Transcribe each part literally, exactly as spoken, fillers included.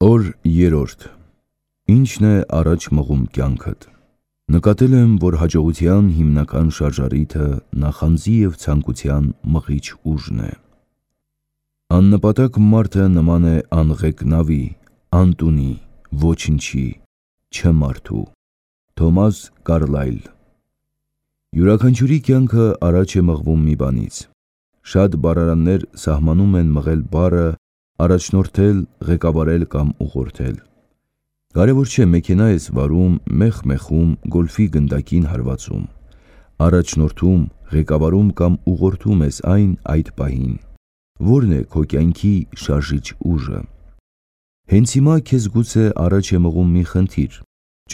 Օր երրորդ. Ի՞նչն է առաջ մղում կյանքդ։ Նկատել եմ, որ հաջողության հիմնական շարժառիթը նախանձի և ցանկության մղիչ ուժն է։ Աննպատակ մարդը նման է անղեկ նավի, անտունի, ոչնչի, չմարդու։ Թոմաս Կարլայլ։ Յուրաքանչյուրի կյանքը առաջ է մղվում մի բանից։ Շատ բառարաններ սահմանում են մղել բառը, առաջնորդել, ղեկավարել կամ ուղղորդել։ Կարևոր չէ մեքենա ես վարում, մեխ-մեխում, գոլֆի գնդակին հարվածում։ Առաջնորդում, ղեկավարում կամ ուղղորդում ես այն այդ պահին։ Ո՞րն է քո կյանքի շարժիչ ուժը։ Հենց հիմա քեզ գուցե առաջ է մղում մի խնդիր,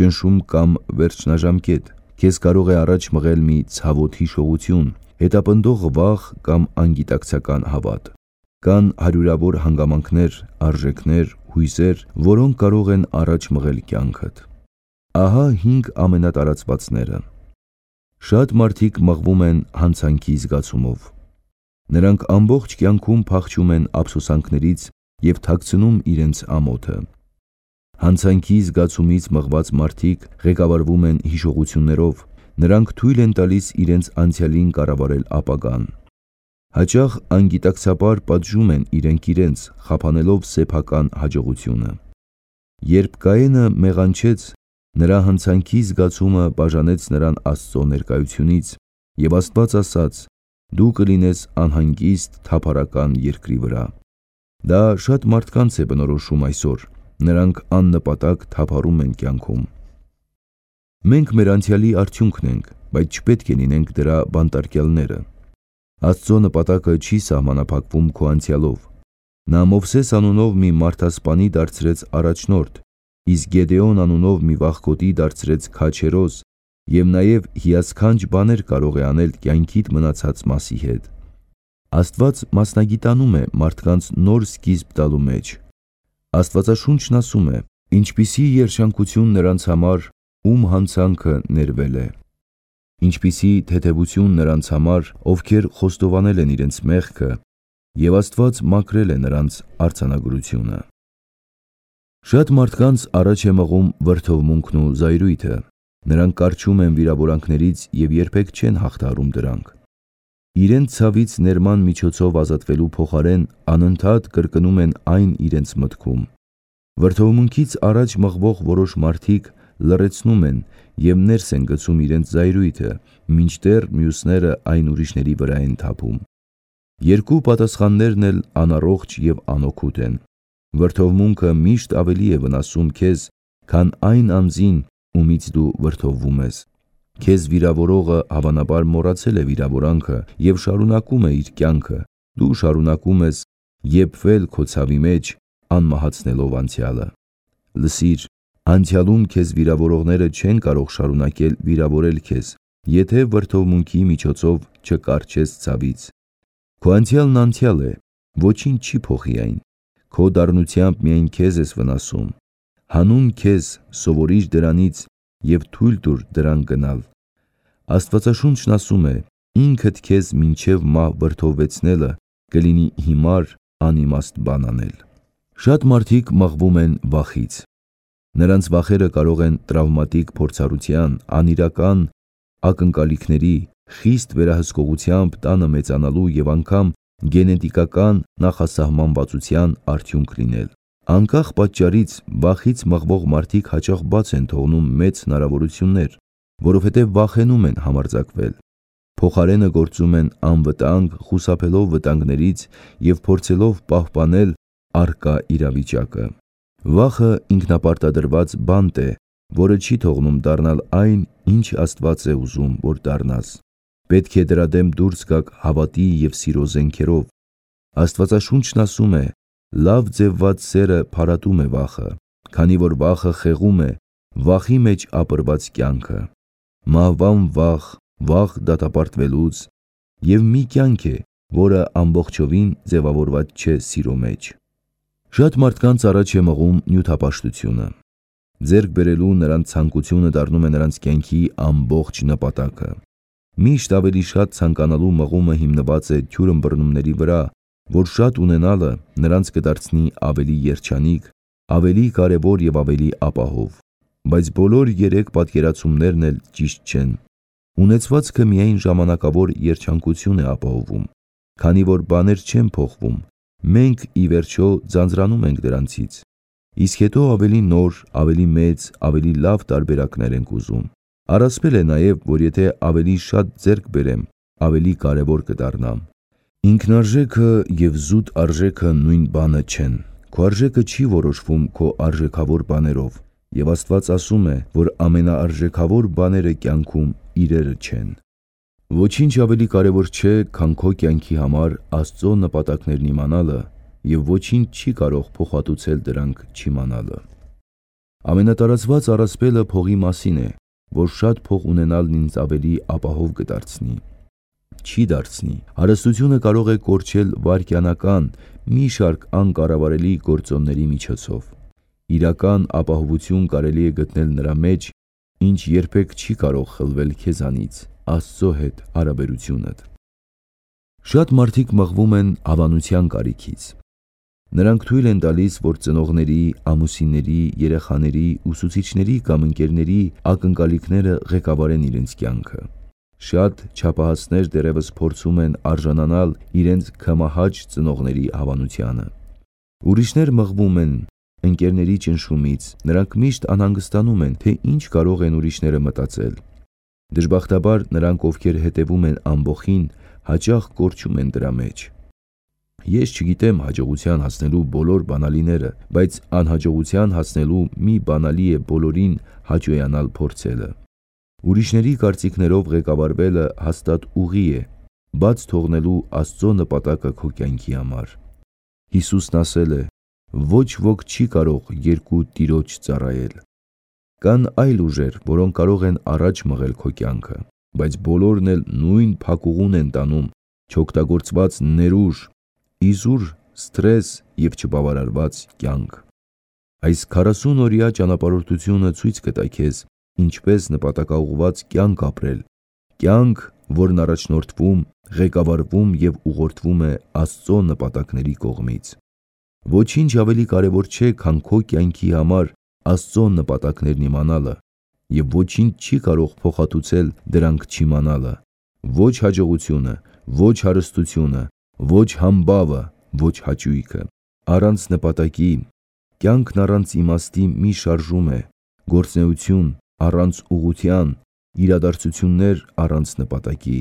ճնշում կամ վերջնաժամկետ, քեզ կարող է առաջ մղել մի ցավոտ հիշողություն, հետապնդող վախ կամ անգիտակցական հավատ։ Կան հարյուրավոր հանգամանքներ, արժեքներ, հույզեր, որոնք կարող են առաջ մղել կյանքդ։ Ահա հինգ ամենատարածվածները։ Շատ մարդիկ մղվում են հանցանքի զգացումով։ Նրանք ամբողջ կյանքում փախչում են ափսոսանքներից և թաքցնում իրենց ամոթը։ Հանցանքի զգացումից մղված մարդիկ ղեկավարվում են հիշողություններով, նրանք թույլ են տալիս իրենց անցյալին կառավարել ապագան։ Հաճախ անգիտակցաբար պատժում են իրենք իրենց, խափանելով սեփական հաջողությունը։ Երբ Կայենը մեղանչեց, նրա հանցանքի զգացումը բաժանեց նրան Աստծո ներկայությունից, և Աստված ասաց. «Դու կլինես անհանգիստ թափառական երկրի վրա»։ Դա շատ մարդկանց է բնորոշում այսօր, նրանք աննպատակ թափառում են կյանքում։ Մենք մեր անցյալի արդյունքն ենք, բայց չպետք է լինենք դրա բանտարկյալները։ Աստծո նպատակը չի սահմանափակվում քո անցյալով։ Նա Մովսես անունով մի մարդասպանի դարձրեց առաջնորդ, իսկ Գեդեոն անունով մի վախկոտի դարձրեց քաջերոզ, և նաև հիասքանչ բաներ կարող է անել կյանքիդ մնացած մասի հետ։ Աստված մասնագիտանում է մարդկանց նոր սկիզբ տալու մեջ։ Աստվածաշունչն ասում է. «Ինչպիսի երջանկություն նրանց համար, ում հանցանքը ներվել է, ինչպիսի թեթևություն նրանց համար, ովքեր խոստովանել են իրենց մեղքը, և Աստված մաքրել է նրանց արձանագրությունը»։ Շատ մարդկանց առաջ է մղում վրդովմունքն ու զայրույթը։ Նրանք կառչում են վիրավորանքներից և երբեք չեն հաղթահարում դրանք։ Իրենց ցավից ներման միջոցով ազատվելու փոխարեն անընդհատ կրկնում են այն իրենց մտքում։ Վրդովմունքից առաջ մղվող որոշ մարդիկ լռեցնում են և ներս են գցում իրենց զայրույթը, մինչդեռ մյուսները այն ուրիշների վրա են թափում։ Երկու պատասխաններն էլ անառողջ և անօգուտ են։ Վրդովմունքը միշտ ավելի է վնասում քեզ, քան այն անձին, ումից դու վրդովվում ես։ Քեզ վիրավորողը հավանաբար մոռացել է վիրավորանքը և շարունակում է իր կյանքը, դու շարունակում ես եփվել քո ցավի մեջ, անմահացնելով անցյալը։ Լսիր, անցյալում քեզ վիրավորողները չեն կարող շարունակել վիրավորել քեզ, եթե վրդովմունքի միջոցով չկառչես ցավից։ Քո անցյալն անցյալ է, ոչինչ չի փոխի այն։ Քո դառնությամբ միայն քեզ ես վնասում։ Հանուն քեզ սովորիր դրանից և թույլ տուր դրան գնալ։ Աստվածաշունչն ասում է. «Ինքդ քեզ մինչև մահ վրդովվեցնելը կլինի հիմար, անիմաստ բան անել»։ Շատ մարդիկ մղվում են վախից։ Նրանց վախերը կարող են տրավմատիկ փորձառության, անիրական ակնկալիքների, խիստ վերահսկողությամբ տանը մեծանալու և անգամ գենետիկական նախասահմանվածության արդյունք լինել։ Անկախ պատճառից, վախից մղվող մարդիկ հաճախ բաց են թողնում մեծ հնարավորություններ, որովհետև վախենում են համարձակվել։ Փոխարենը գործում են անվտանգ, խուսափելով վտանգներից և փորձելով պահպանել առկա իրավիճակը։ Վախը ինքնապարտադրված բանտ է, որը չի թողնում դառնալ այն, ինչ Աստված է ուզում, որ դառնաս։ Պետք է դրա դեմ դուրս գաք հավատի և սիրո զենքերով։ Աստվածաշունչն ասում է. «Լավ ձևված սերը փարատում է վախը, քանի որ վախը խեղում է, վախի մեջ ապրված կյանքը։ Մահվան վախ, վախ դատապարտվելուց, և մի կյանք է, որը ամբողջովին ձևավորված չէ սիրո մեջ»։ Շատ մարդկանց առաջ է մղում նյութապաշտությունը։ Ձեռք բերելու նրանց ցանկությունը դառնում է նրանց կյանքի ամբողջ նպատակը։ Միշտ ավելի շատ ցանկանալու մղումը հիմնված է թյուր ըմբռնումների վրա, որ շատ ունենալը նրանց կդարձնի ավելի երջանիկ, ավելի կարևոր և ավելի ապահով, բայց բոլոր երեք պատկերացումներն էլ ճիշտ չեն։ Ունեցվածքը միայն ժամանակավոր երջանկություն է ապահովում, քանի որ բաներ չեն փոխվում, մենք ի վերջո ձանձրանում ենք դրանցից, իսկ հետո ավելի նոր, ավելի մեծ, ավելի լավ տարբերակներ ենք ուզում։ Առասպել է նաև, որ եթե ավելի շատ ձեռք բերեմ, ավելի կարևոր կդառնամ։ Ինքնարժեքը և զուտ արժեքը նույն բանը չեն։ Քո արժեքը չի որոշվում քո արժեքավոր բաներով, և Աստված ասում է, որ ամենաարժեքավոր բաները կյանքում իրերը չեն։ Ոչինչ ավելի կարևոր չէ, քան քո կյանքի համար Աստծո նպատակներն իմանալը, և ոչինչ չի կարող փոխհատուցել դրանք չիմանալը։ Ամենատարածված առասպելը փողի մասին է, որ շատ փող ունենալն ինձ ավելի ապահով կդարձնի։ Չի դարձնի։ Հարստությունը կարող է կորչել վայրկենական մի շարք անկառավարելի գործոնների միջոցով։ Իրական ապահովություն կարելի է գտնել նրա մեջ, ինչ երբեք չի կարող խլվել քեզանից, Աստծո հետ հարաբերությունդ։ Շատ մարդիկ մղվում են հավանության կարիքից։ Նրանք թույլ են տալիս, որ ծնողների, ամուսինների, երեխաների, ուսուցիչների կամ ընկերների ակնկալիքները ղեկավարեն իրենց կյանքը։ Շատ չափահասներ դեռևս փորձում են արժանանալ իրենց քմահաճ ծնողների հավանությանը։ Ուրիշներ մղվում են ընկերների ճնշումից, նրանք միշտ անհանգստանում են, թե ինչ կարող են ուրիշները մտածել։ Դժբախտաբար նրանք, ովքեր հետևում են ամբոխին, հաճախ կորչում են դրա մեջ։ Ես չգիտեմ հաջողության հասնելու բոլոր բանալիները, բայց անհաջողության հասնելու մի բանալի է բոլորին հաճոյանալ փորձելը։ Ուրիշների կարծիքներով ղեկավարվելը հաստատ ուղի է, բաց թողնելու Աստծո նպատակը քո կյանքի համար։ Հիսուսն ասել է. «Ոչ ոք չի կարող երկու տիրոջ ծառայել»։ Կան այլ ուժեր, որոնք կարող են առաջ մղել քո կյանքը, բայց բոլորն էլ նույն փակուղուն են տանում չօգտագործված ներուժ, իզուր, սթրես և չբավարարված կյանք։ Այս քառասունօրյա ճանապարհորդությունը ցույց կտա քեզ ինչպես նպատակաուղղված կյանք ապրել, կյանք, որն առաջնորդվում, ղեկավարվում և ուղղորդվում է Աստծո նպատակների կողմից։ Ոչինչ ավելի կարևոր չէ, քան քո կյանքի համար Աստծո նպատակներն իմանալը, և ոչինչ չի կարող փոխհատուցել դրանք չիմանալը։ Ոչ հաջողությունը, ոչ հարստությունը, ոչ համբավը, ոչ հաճույքը։ Առանց նպատակի կյանքն առանց իմաստի մի շարժում է, գործունեություն առանց ուղղության, իրադարձություններ առանց նպատակի։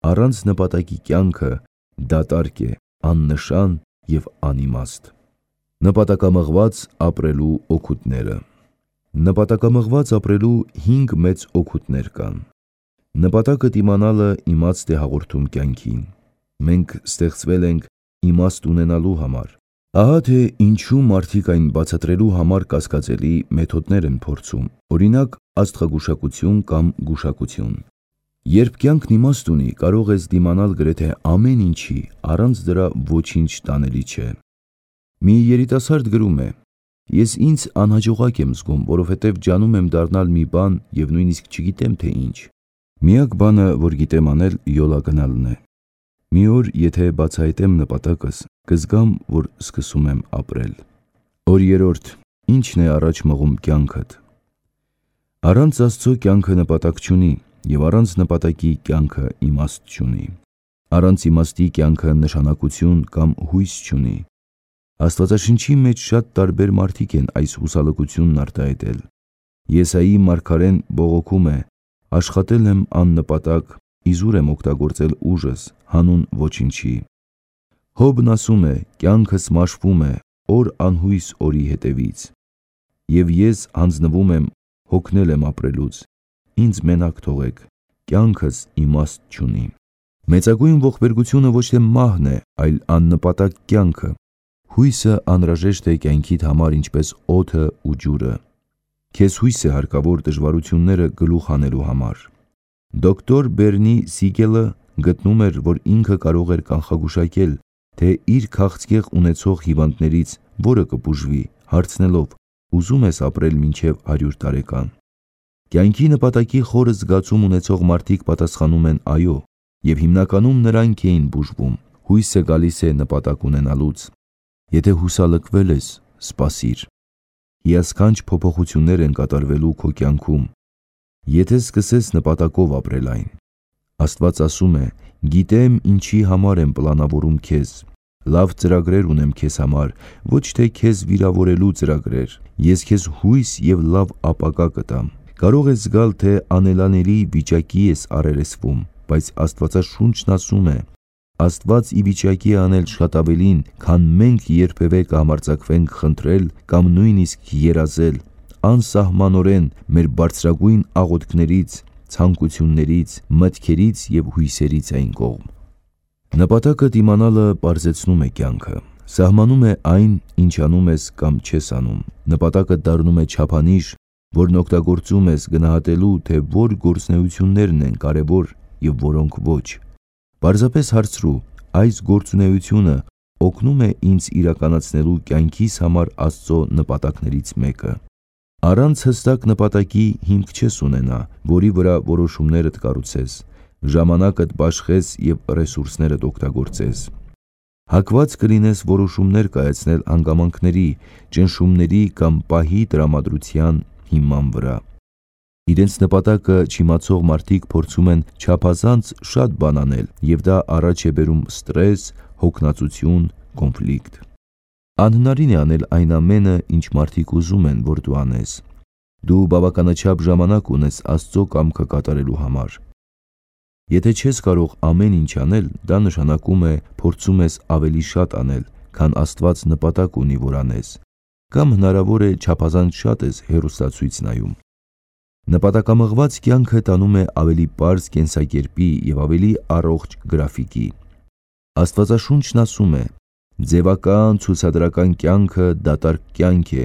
Առանց նպատակի կյանքը դատարկ է, աննշան և անիմաստ։ Նպատակամղված ապրելու օգուտները։ Նպատակամղված ապրելու հինգ մեծ օգուտներ կան։ Նպատակդ իմանալը իմաստ է հաղորդում կյանքին։ Մենք ստեղծվել ենք իմաստ ունենալու համար։ Ահա թե ինչու մարդիկ այն բացատրելու համար կասկածելի մեթոդներ են փորձում, օրինակ աստղագուշակություն կամ գուշակություն։ Երբ կյանքն իմաստ ունի, կարող ես դիմանալ գրեթե ամեն ինչի, առանց դրա ոչինչ տանելի չէ։ Մի երիտասարդ գրում է. «Ես ինձ անհաջողակ եմ զգում, որովհետև ջանում եմ դառնալ մի բան և նույնիսկ չգիտեմ, թե ինչ։ Միակ բանը, որ գիտեմ անել, յոլա գնալն է։ Մի օր, եթե բացահայտեմ նպատակս, կզգամ, որ սկսում եմ ապրել»։ Օր երրորդ. ի՞նչն է առաջ մղում կյանքդ։ Առանց Աստծո կյանքը նպատակ չունի, և առանց նպատակի կյանքը իմաստ չունի։ Առանց իմաստի կյանքը նշանակություն կամ հույս չունի։ Աստվածաշնչի մեջ շատ տարբեր մարդիկ են այս հուսալքությունն արտահայտել։ Եսայի մարգարեն բողոքում է. «Աշխատել եմ աննպատակ, իզուր եմ օգտագործել ուժս, հանուն ոչնչի»։ Հոբն ասում է. «Կյանքս մաշվում է, օր անհույս օրի հետևից։ Եվ ես հանձնվում եմ, հոգնել եմ ապրելուց, ինձ մենակ թողեք, կյանքս իմաստ չունի»։ Մեծագույն ողբերգությունը ոչ թե մահն է, այլ աննպատակ կյանքը։ Հույսը անհրաժեշտ է կյանքիդ համար ինչպես օդը ու ջուրը։ Քեզ հույս է հարկավոր դժվարությունները գլուխ հանելու համար։ Դոկտոր Բերնի Սիգելը գտնում էր, որ ինքը կարող էր կանխագուշակել, թե իր քաղցկեղ ունեցող հիվանդներից որը կբուժվի, հարցնելով. «Ուզում ես ապրել մինչև հարյուր տարեկան»։ Կյանքի նպատակի խորը զգացում ունեցող մարդիկ պատասխանում են այո, և հիմնականում նրանք էին բուժվում։ Հույսը գալիս է նպատակ ունենալուց։ Եթե հուսալքվել ես, սպասիր։ հիասքանչ փոփոխություններ են կատարվելու քո կյանքում, եթե սկսես նպատակով ապրել այն։ Աստված ասում է. «Գիտեմ ինչի համար եմ պլանավորում քեզ, լավ ծրագրեր ունեմ քեզ համար, ոչ թե քեզ վիրավորելու ծրագրեր, ես քեզ հույս և լավ ապագա կտամ»։ Կարող ես զգալ, թե անելանելի վիճակի ես առերեսվում, բայց Աստվածաշունչն ասում է. Աստված ի վիճակի է անել շատ ավելին, քան մենք երբևէ կհամարձակվենք խնդրել կամ նույնիսկ երազել, անսահմանորեն մեր բարձրագույն աղոթքներից, ցանկություններից, մտքերից և հույսերից այն կողմ։ Նպատակդ իմանալը պարզեցնում է կյանքը, սահմանում է այն, ինչ անում ես կամ չես անում։ Նպատակը դառնում է չափանիշ, որն օգտագործում ես գնահատելու, թե որ գործունեություններն են կարևոր և որոնք ոչ։ Պարզապես հարցրու. այս գործունեությունը օգնում է ինձ իրականացնելու կյանքիս համար Աստծո նպատակներից մեկը։ Առանց հստակ նպատակի հիմք չես ունենա, որի վրա որոշումներդ կառուցես, ժամանակդ բաշխես և ռեսուրսներդ օգտագործես։ Հակված կլինես որոշումներ կայացնել հանգամանքների, ճնշումների կամ պահի տրամադրության հիման վրա։ Իրենց նպատակը չիմացող մարդիկ փորձում են չափազանց շատ բան անել, և դա առաջ է բերում ստրես, հոգնածություն, կոնֆլիկտ։ Անհնարին է անել այն ամենը, ինչ մարդիկ ուզում են, որ դու անես։ Դու բավականաչափ ժամանակ ունես Աստծո կամքը կատարելու համար։ Եթե չես կարող ամեն ինչ անել, դա նշանակում է փորձում ես ավելի շատ անել, քան Աստված նպատակ ունի, որ անես, կամ հնարավոր է չափազանց շատ ես հեռուստացույց նայում։ Նպատակամղված կյանքը տանում է ավելի պարզ կենսակերպի և ավելի առողջ գրաֆիկի։ Աստվածաշունչն ասում է. «Ձևական ցուցադրական կյանքը դատարկ կյանք է,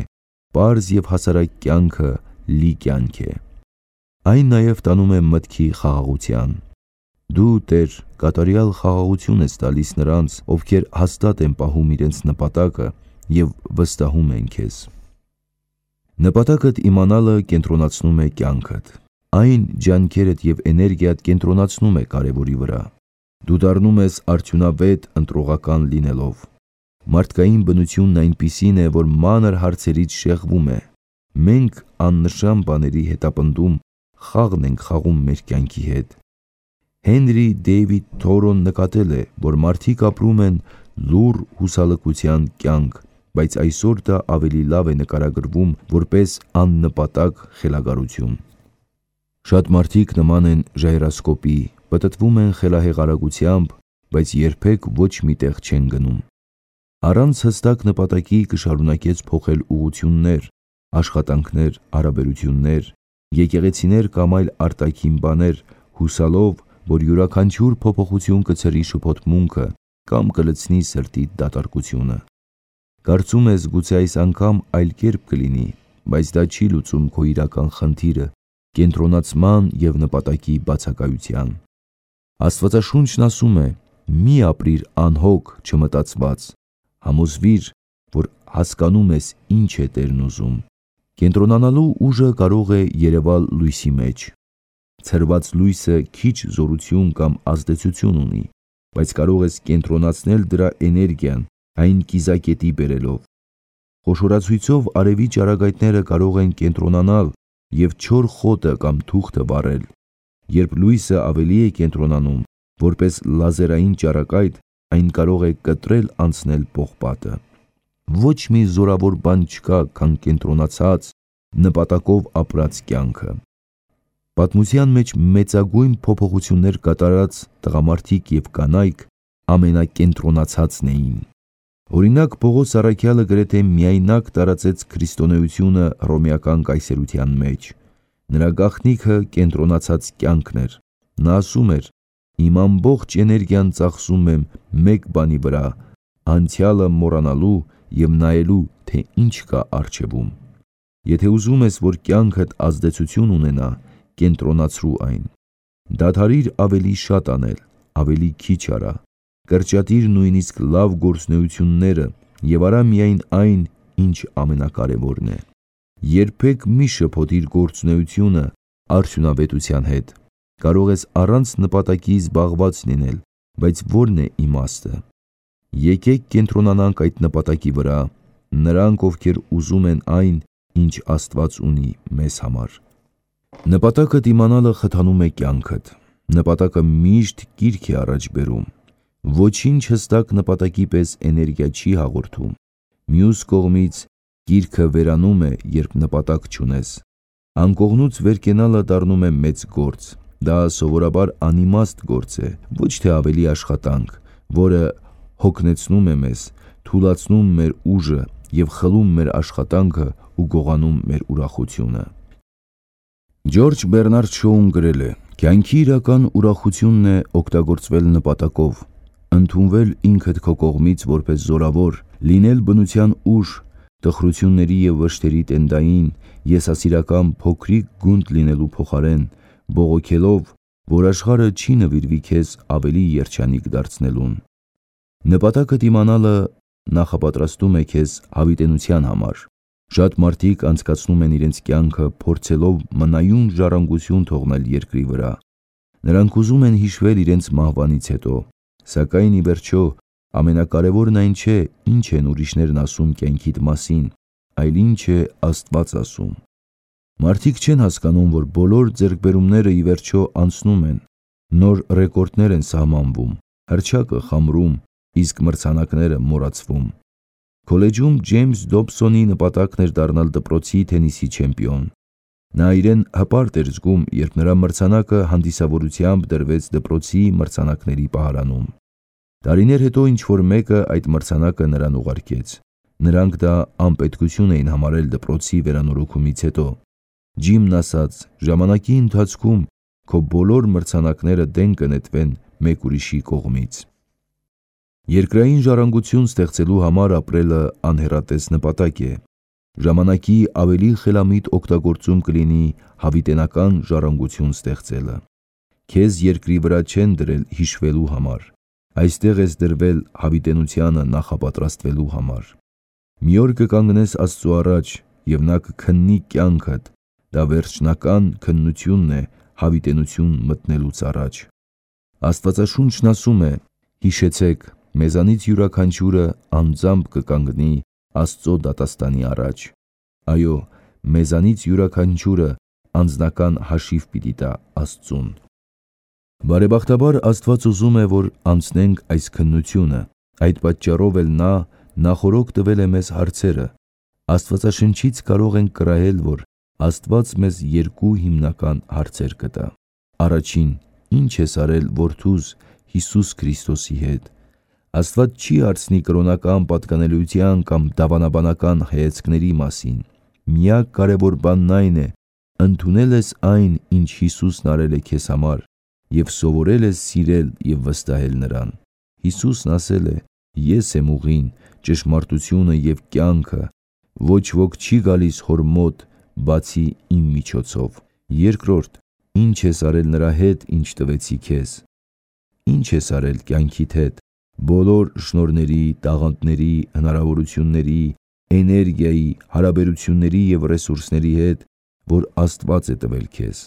պարզ և հասարակ կյանքը լի կյանք է»։ Այն նաև տանում է մտքի խաղաղության։ Դու, Տեր, կատարյալ խաղաղություն ես տալիս նրանց, ովքեր հաստատ են պահում իրենց նպատակը և վստահում են քեզ։ Նպատակդ իմանալը կենտրոնացնում է կյանքդ։ Այն ջանքերդ և էներգիադ կենտրոնացնում է կարևորի վրա։ Դու դառնում ես արդյունավետ ընտրողական լինելով։ Մարդկային բնությունն այնպիսին է, որ մանր հարցերից շեղվում է։ Մենք աննշան բաների հետապնդում խաղն ենք խաղում մեր կյանքի հետ։ Հենրի Դեյվիդ Թորոն նկատել է, որ մարդիկ ապրում են լուռ հուսալքության կյանք, բայց այսօր դա ավելի լավ է նկարագրվում որպես աննպատակ խելագարություն։ Շատ մարդիկ նման են ժայռասկոպի, պտտվում են խելահեղ արագությամբ, բայց երբեք ոչ մի տեղ չեն գնում։ Առանց հստակ նպատակի կշարունակես փոխել ուղղություններ, աշխատանքներ, հարաբերություններ, եկեղեցիներ կամ այլ արտաքին բաներ, հուսալով, որ յուրաքանչյուր փոփոխություն կցրի շփոթմունքը կամ կլցնի սրտիդ դատարկությունը։ Կարծում ես գուցե այս անգամ այլ կերպ կլինի, բայց դա չի լուծում քո իրական խնդիրը՝ կենտրոնացման և նպատակի բացակայության։ Աստվածաշունչն ասում է. «Մի ապրիր անհոգ, չմտածված, համոզվիր, որ հասկանում ես ինչ է Տերն ուզում»։ Կենտրոնանալու ուժը կարող է երևալ լույսի մեջ։ Ցրված լույսը քիչ զորություն կամ ազդեցություն ունի, բայց կարող ես կենտրոնացնել դրա էներգիան, այն կիզակետի բերելով։ Խոշորացույցով արևի ճառագայթները կարող են կենտրոնանալ և չոր խոտը կամ թուղթը վառել։ Երբ լույսը ավելի է կենտրոնանում, որպես լազերային ճառագայթ, այն կարող է կտրել անցնել պողպատը։ Ոչ մի զորավոր բան չկա, քան կենտրոնացած, նպատակով ապրած կյանքը։ Պատմության մեջ մեծագույն փոփոխություններ կատարած տղամարդիկ և կանայք ամենակենտրոնացածն էին։ Օրինակ, Պողոս առաքյալը գրեթե միայնակ տարածեց քրիստոնեությունը հռոմեական կայսրության մեջ։ Նրա գաղտնիքը կենտրոնացած կյանքն էր։ Նա ասում էր. «Իմ ամբողջ էներգիան ծախսում եմ մեկ բանի վրա՝ անցյալը մոռանալու և նայելու, թե ինչ կա առջևում»։ Եթե ուզում ես, որ կյանքդ ազդեցություն ունենա, կենտրոնացրու այն։ Դադարիր ավելի շատ անել, ավելի քիչ արա։ Կրճատիր նույնիսկ լավ գործունեությունները և արա միայն այն, ինչ ամենակարևորն է։ Երբեք մի շփոթիր գործունեությունը արդյունավետության հետ։ Կարող ես առանց նպատակի զբաղված լինել, բայց ո՞րն է իմաստը։ Եկեք կենտրոնանանք այդ նպատակի վրա։ Նրանք, ովքեր ուզում են այն, ինչ Աստված ունի մեզ համար։ Նպատակը դիմանալը խթանում է կյանքդ, նպատակը միշտ կիրք է առաջ բերում, ոչինչ հստակ նպատակի պես էներգիա չի հաղորդում, մյուս կողմից կիրքը վերանում է, երբ նպատակ չունես, անկողնուց վեր կենալը դառնում է մեծ գործ, դա սովորաբար անիմաստ գործ է, ոչ թե ավելի աշխատանք, որը հոգնեցնում է մեզ, թուլացնում մեր ուժը և խլում մեր աշխատանքը ու գողանում մեր ուրախությունը։ Ջորջ Բեռնարդ Շոուն գրել է. «Կյանքի իրական ուրախությունն է օգտագործվել նպատակով, ընդունվել ինքդ քո կողմից որպես զորավոր, լինել բնության ուժ, տխրությունների և վշտերի տենդային, եսասիրական փոքրիկ գունդ լինելու փոխարեն, բողոքելով, որ աշխարհը չի նվիրվի քեզ ավելի երջանիկ դարձնելուն։ Նպատակը դիմանալը նախապատրաստում է քեզ հավիտենության համար։ Շատ մարդիկ անցկացնում են իրենց կյանքը փորձելով մնայուն ժառանգություն թողնել երկրի վրա։ Նրանք ուզում են հիշվել իրենց մահվանից հետո, սակայն ի վերջո ամենակարևորն այն չէ, ինչ են ուրիշներն ասում կյանքիդ մասին, այլ ինչ է Աստված ասում։ Մարդիկ չեն հասկանում, որ բոլոր ձեռքբերումները ի վերջո անցնում են, նոր ռեկորդներ են սահմանվում, հռչակը խամրում, իսկ մրցանակները մոռացվում։ Քոլեջում Ջեյմս Դոբսոնի նպատակն էր դառնալ դպրոցի թենիսի չեմպիոն։ Նա իրեն հպարտ էր զգում, երբ նրա մրցանակը հանդիսավորությամբ դրվեց դպրոցի մրցանակների պահարանում։ Տարիներ հետո ինչ-որ մեկը այդ մրցանակը նրան ուղարկեց։ Նրանք դա անպետքություն էին համարել դպրոցի վերանորոգումից հետո։ Ջիմն ասաց. «Ժամանակի ընթացքում քո բոլոր մրցանակները դեն կնետվեն մեկ ուրիշի կողմից»։ Երկրային ժառանգություն ստեղծելու համար ապրելը անհեռատես նպատակ է։ Ժամանակի ավելի խելամիտ օգտագործում կլինի հավիտենական ժառանգություն ստեղծելը։ Քեզ երկրի վրա չեն դրել հիշվելու համար, այստեղ ես դրվել հավիտենությանը նախապատրաստվելու համար։ Մի օր կկանգնես Աստծու առաջ և նա կքննի կյանքդ, դա վերջնական քննությունն է հավիտենություն մտնելուց առաջ։ Աստվածաշունչն ասում է. «Հիշեցեք, մեզանից յուրաքանչյուրը անձամբ կկանգնի Աստծո դատաստանի առաջ»։ Այո, մեզանից յուրաքանչյուրը անձնական հաշիվ պիտի տա Աստծուն։ Բարեբախտաբար Աստված ուզում է, որ անցնենք այս քննությունը, այդ պատճառով էլ նա նախօրոք տվել է մեզ հարցերը։ Աստվածաշնչից կարող ենք կրահել, որ Աստված մեզ երկու հիմնական հարցեր կտա։ Առաջին. ի՞նչ ես արել որդուս Հիսուս Քրիստոսի հետ։ Աստված չի հարցնի կրոնական պատկանելիության կամ դավանաբանական հայացքների մասին։ Միակ կարևոր բանն այն է, ընդունել ես այն, ինչ Հիսուսն արել է քեզ համար, և սովորել ես սիրել և վստահել նրան։ Հիսուսն ասել է. «Ես եմ ուղին, ճշմարտությունը և կյանքը, ոչ ոք չի գալիս Հոր մոտ, բացի իմ միջոցով»։ Երկրորդ. ի՞նչ ես արել նրա հետ, ինչ տվեցի քեզ։ Ի՞նչ ես արել կյանքիդ հետ, բոլոր շնորհների, տաղանդների, հնարավորությունների, էներգիայի, հարաբերությունների և ռեսուրսների հետ, որ Աստված է տվել քեզ։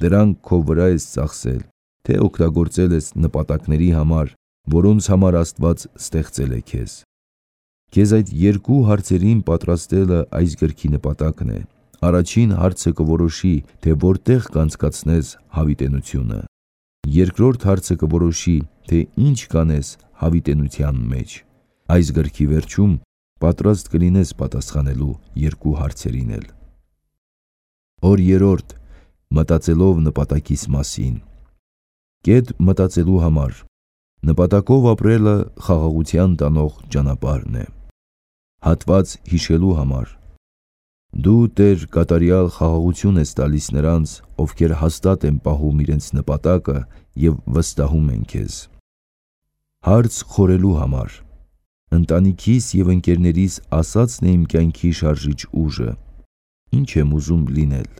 Դրանք քո վրա ես ծախսել, թե օգտագործել ես նպատակների համար, որոնց համար Աստված ստեղծել է քեզ։ Քեզ այդ երկու հարցերին պատրաստելը այս գրքի նպատակն է։ Առաջին հարցը կորոշի, թե որտեղ կանցկացնես հավիտենությունը։ Երկրորդ հարցը կորոշի, թե ինչ կանես հավիտենության մեջ։ Այս գրքի վերջում պատրաստ կլինես պատասխանելու երկու հարցերին էլ։ Օր երրորդ. մտածելով նպատակիս մասին։ Կետ մտածելու համար։ Նպատակով ապրելը խաղաղության տանող ճանապարհն է։ Հատված հիշելու համար։ Դու Տեր կատարյալ խաղաղություն ես տալիս նրանց, ովքեր հաստատ են պահում իրենց նպատակը և վստահում են քեզ։ Հարց խորելու համար։ Ընտանիքիս և ընկերներիս ասածն է իմ կյանքի շարժիչ ուժը։ Ինչ եմ ուզում լինել։